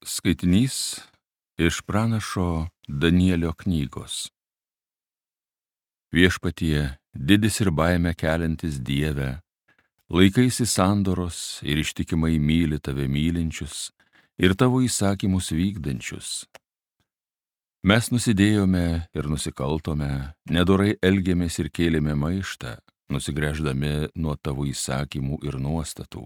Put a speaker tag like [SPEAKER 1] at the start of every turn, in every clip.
[SPEAKER 1] Skaitinys iš pranašo Danielio knygos. Viešpatie, didis ir baimę keliantis Dieve, laikaisi sandoros ir ištikimai myli tave mylinčius ir tavo įsakymus vykdančius. Mes nusidėjome ir nusikaltome, nedorai elgėmės ir kėlėme maištą, nusigręždami nuo tavo įsakymų ir nuostatų.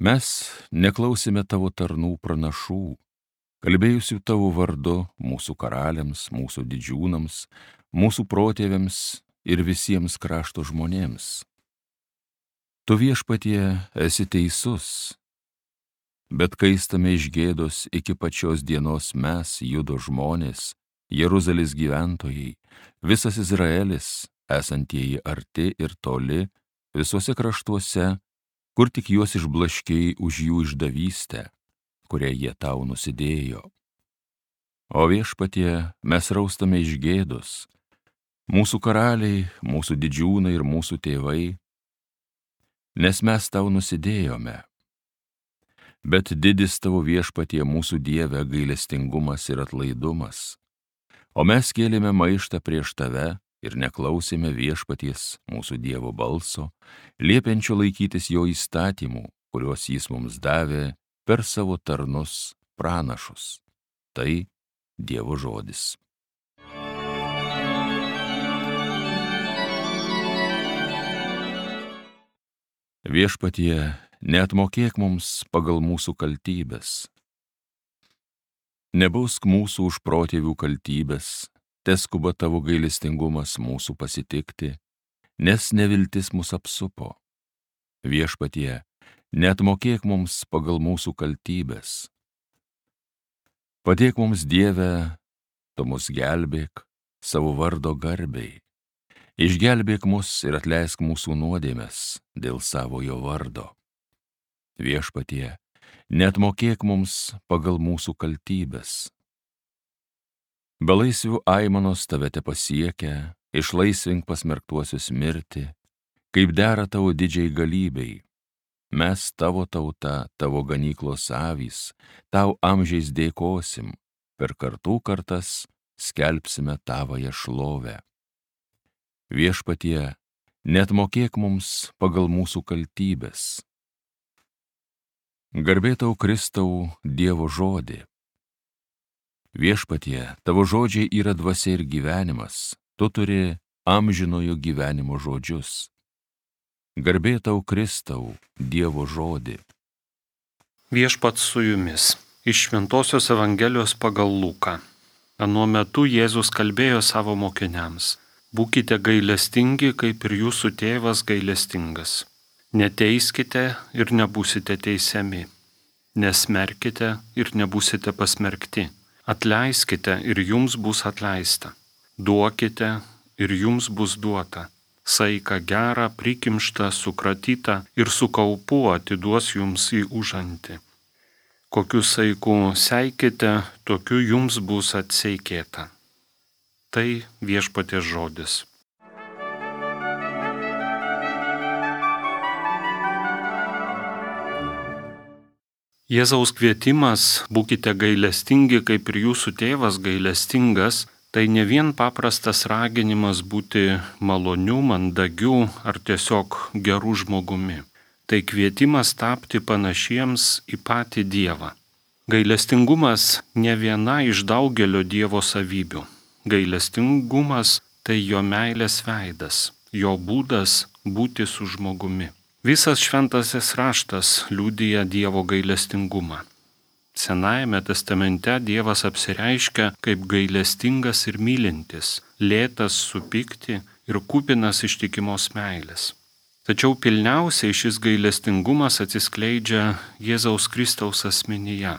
[SPEAKER 1] Mes neklausėme tavo tarnų pranašų, kalbėjusių tavo vardu mūsų karaliams, mūsų didžiūnams, mūsų protėviams ir visiems krašto žmonėms. Tu, Viešpatie, esi teisus, bet kaistame iš gėdos iki pačios dienos mes, Judo žmonės, Jeruzalės gyventojai, visas Izraelis, esantieji arti ir toli, visuose kraštuose, kur tik juos išblaškėjai už jų išdavystę, kurią jie tau nusidėjo. O Viešpatie, mes raustame iš gėdos, mūsų karaliai, mūsų didžiūnai ir mūsų tėvai, nes mes tau nusidėjome. Bet didis tavo, Viešpatie, mūsų Dieve, gailestingumas ir atlaidumas, o mes kėlėme maištą prieš tave ir neklausėme Viešpaties mūsų Dievo balso, liepiančio laikytis jo įstatymų, kuriuos jis mums davė per savo tarnus pranašus. Tai Dievo žodis. Viešpatie, neatmokėk mums pagal mūsų kaltybes. Nebausk mūsų už protėvių kaltybes, teskuba tavo gailestingumas mūsų pasitikti, nes neviltis mus apsupo. Viešpatie, neatmokėk mums pagal mūsų kaltybes. Padėk mums, Dieve, tu mus gelbėk savo vardo garbei. Išgelbėk mus ir atleisk mūsų nuodėmes dėl savojo vardo. Viešpatie, neatmokėk mums pagal mūsų kaltybes. Belaisvių aimanos tave te pasiekia, išlaisvink pasmerktuosius mirti, kaip dera tavo didžiai galybei. Mes tavo tauta, tavo ganyklos avys, tau amžiais dėkosim, per kartų kartas skelbsime tavąją šlovę. Viešpatie, neatmokėk mums pagal mūsų kaltybes. Garbė tau, Kristau, Dievo žodį. Viešpatie, tavo žodžiai yra dvasia ir gyvenimas, tu turi amžinojo gyvenimo žodžius. Garbė tau, Kristau, Dievo žodį.
[SPEAKER 2] Viešpats su jumis. Iš Šventosios Evangelijos pagal Luką. Anuo metu Jėzus kalbėjo savo mokiniams: būkite gailestingi, kaip ir jūsų tėvas gailestingas. Neteiskite ir nebūsite teisiami. Nesmerkite ir nebūsite pasmerkti. Atleiskite ir jums bus atleista. Duokite ir jums bus duota. Saiką gerą, prikimštą, sukratytą ir su kaupu atiduos jums į užantį. Kokiu saiku seikite, tokiu jums bus atseikėta. Tai Viešpaties žodis. Jėzaus kvietimas būkite gailestingi, kaip ir jūsų tėvas gailestingas, tai ne vien paprastas raginimas būti maloniu, mandagiu ar tiesiog geru žmogumi. Tai kvietimas tapti panašiems į patį Dievą. Gailestingumas ne viena iš daugelio Dievo savybių. Gailestingumas tai jo meilės veidas, jo būdas būti su žmogumi. Visas šventasis raštas liudija Dievo gailestingumą. Senajame testamente Dievas apsireiškia kaip gailestingas ir mylintis, lėtas supykti ir kupinas ištikimos meilės. Tačiau pilniausiai šis gailestingumas atsiskleidžia Jėzaus Kristaus asmenyje,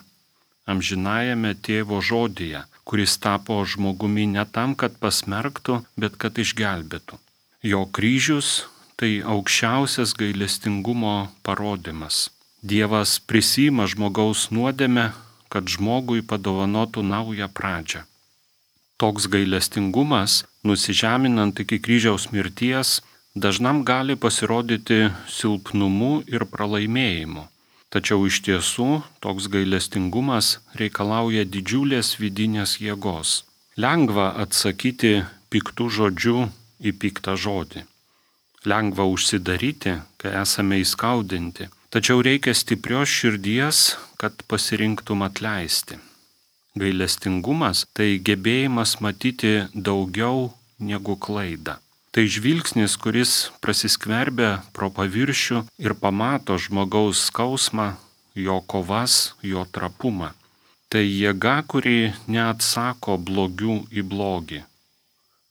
[SPEAKER 2] amžinajame Tėvo žodyje, kuris tapo žmogumi ne tam, kad pasmerktų, bet kad išgelbėtų. Jo kryžius tai aukščiausias gailestingumo parodymas. Dievas prisiima žmogaus nuodėmę, kad žmogui padovanotų naują pradžią. Toks gailestingumas, nusižeminant iki kryžiaus mirties, dažnam gali pasirodyti silpnumu ir pralaimėjimu. Tačiau iš tiesų toks gailestingumas reikalauja didžiulės vidinės jėgos. Lengva atsakyti piktų žodžių į piktą žodį. Lengva užsidaryti, kai esame įskaudinti. Tačiau reikia stiprios širdies, kad pasirinktum atleisti. Gailestingumas tai gebėjimas matyti daugiau negu klaidą. Tai žvilgsnis, kuris prasiskverbia pro paviršių ir pamato žmogaus skausmą, jo kovas, jo trapumą. Tai jėga, kuri neatsako blogių į blogį,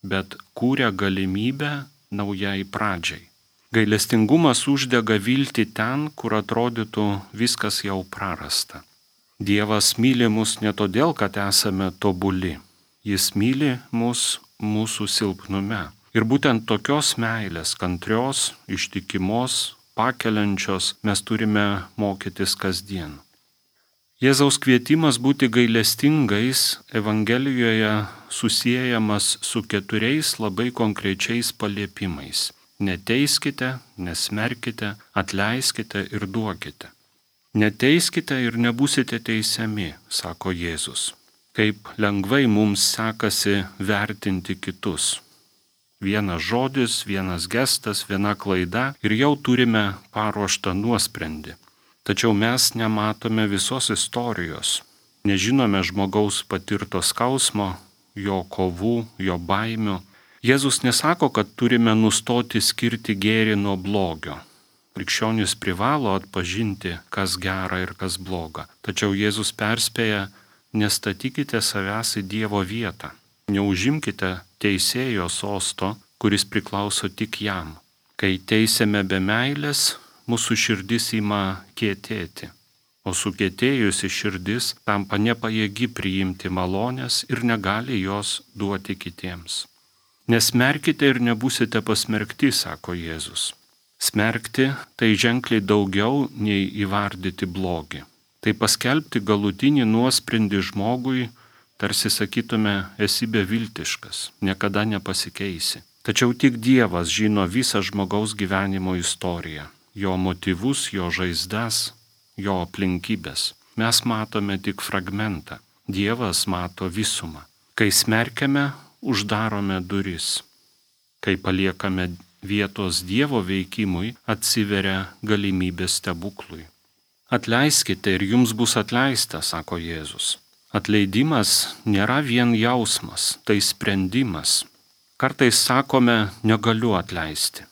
[SPEAKER 2] bet kūrė galimybę naujai pradžiai. Gailestingumas uždega viltį ten, kur atrodytų viskas jau prarasta. Dievas myli mus ne todėl, kad esame tobuli. Jis myli mus mūsų silpnume. Ir būtent tokios meilės, kantrios, ištikimos, pakeliančios mes turime mokytis kasdien. Jėzaus kvietimas būti gailestingais Evangelijoje susiejamas su 4 labai konkrečiais paliepimais. Neteiskite, nesmerkite, atleiskite ir duokite. Neteiskite ir nebūsite teisiami, sako Jėzus. Kaip lengvai mums sekasi vertinti kitus. Vienas žodis, vienas gestas, viena klaida ir jau turime paruoštą nuosprendį. Tačiau mes nematome visos istorijos, nežinome žmogaus patirto skausmo, jo kovų, jo baimių. Jėzus nesako, kad turime nustoti skirti gėrį nuo blogio. Krikščionis privalo atpažinti, kas gera ir kas bloga. Tačiau Jėzus perspėja, nestatykite savęs į Dievo vietą. Neužimkite teisėjo sosto, kuris priklauso tik jam. Kai teisiame be meilės, mūsų širdis ima kietėti, o sukietėjusi širdis tampa nepajėgi priimti malonės ir negali jos duoti kitiems. Nesmerkite ir nebūsite pasmerkti, sako Jėzus. Smerkti tai ženkliai daugiau nei įvardyti blogį. Tai paskelbti galutinį nuosprendį žmogui, tarsi sakytume, esi beviltiškas, niekada nepasikeisi. Tačiau tik Dievas žino visą žmogaus gyvenimo istoriją, jo motyvus, jo žaizdas, jo aplinkybės. Mes matome tik fragmentą, Dievas mato visumą. Kai smerkiame, uždarome duris. Kai paliekame vietos Dievo veikimui, atsiveria galimybė stebuklui. Atleiskite ir jums bus atleista, sako Jėzus. Atleidimas nėra vien jausmas, tai sprendimas. Kartais sakome, negaliu atleisti.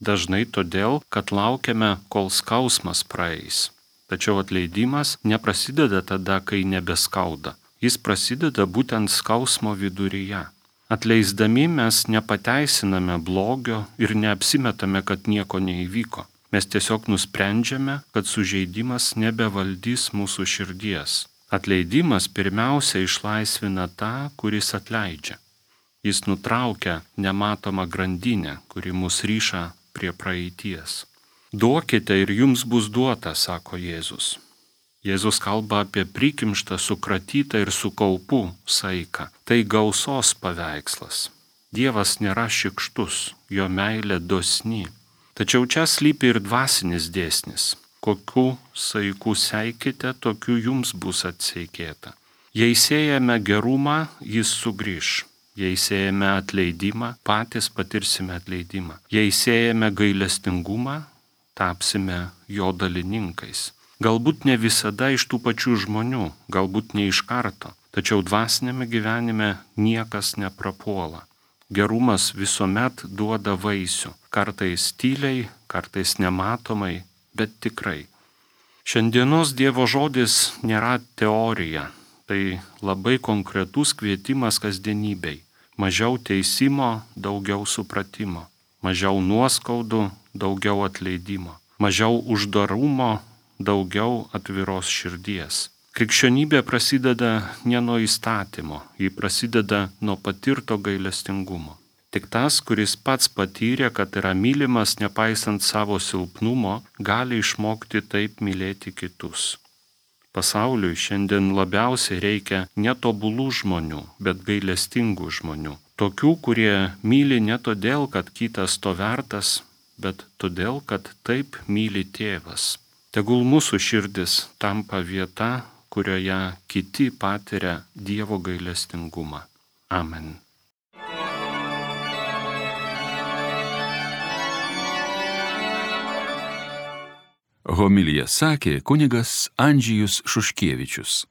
[SPEAKER 2] Dažnai todėl, kad laukiame, kol skausmas praeis. Tačiau atleidimas neprasideda tada, kai nebeskauda. Jis prasideda būtent skausmo viduryje. Atleisdami mes nepateisiname blogio ir neapsimetame, kad nieko neįvyko. Mes tiesiog nusprendžiame, kad sužeidimas nebevaldys mūsų širdies. Atleidimas pirmiausia išlaisvina tą, kuris atleidžia. Jis nutraukia nematomą grandinę, kuri mus ryša prie praeities. Duokite ir jums bus duota, sako Jėzus. Jėzus kalba apie prikimštą, sukratytą ir su kaupu saiką. Tai gausos paveikslas. Dievas nėra šykštus, jo meilė dosni. Tačiau čia slypi ir dvasinis dėsnis. Kokiu saiku seikite, tokiu jums bus atseikėta. Jei siejame gerumą, jis sugrįš. Jei siejame atleidimą, patys patirsime atleidimą. Jei siejame gailestingumą, tapsime jo dalininkais. Galbūt ne visada iš tų pačių žmonių, galbūt ne iš karto, tačiau dvasinėme gyvenime niekas neprapuola. Gerumas visuomet duoda vaisių, kartais tyliai, kartais nematomai, bet tikrai. Šiandienos Dievo žodis nėra teorija, tai labai konkretus kvietimas kasdienybei. Mažiau teisimo, daugiau supratimo. Mažiau nuoskaudų, daugiau atleidimo. Mažiau uždarumo, daugiau atviros širdies. Krikščionybė prasideda ne nuo įstatymo, ji prasideda nuo patirto gailestingumo. Tik tas, kuris pats patyrė, kad yra mylimas nepaisant savo silpnumo, gali išmokti taip mylėti kitus. Pasauliui šiandien labiausiai reikia netobulų žmonių, bet gailestingų žmonių. Tokių, kurie myli ne todėl, kad kitas to vertas, bet todėl, kad taip myli tėvas. Tegul mūsų širdis tampa vieta, kurioje kiti patiria Dievo gailestingumą. Amen.
[SPEAKER 1] Homiliją sakė kunigas Andžejus Šuškevičius.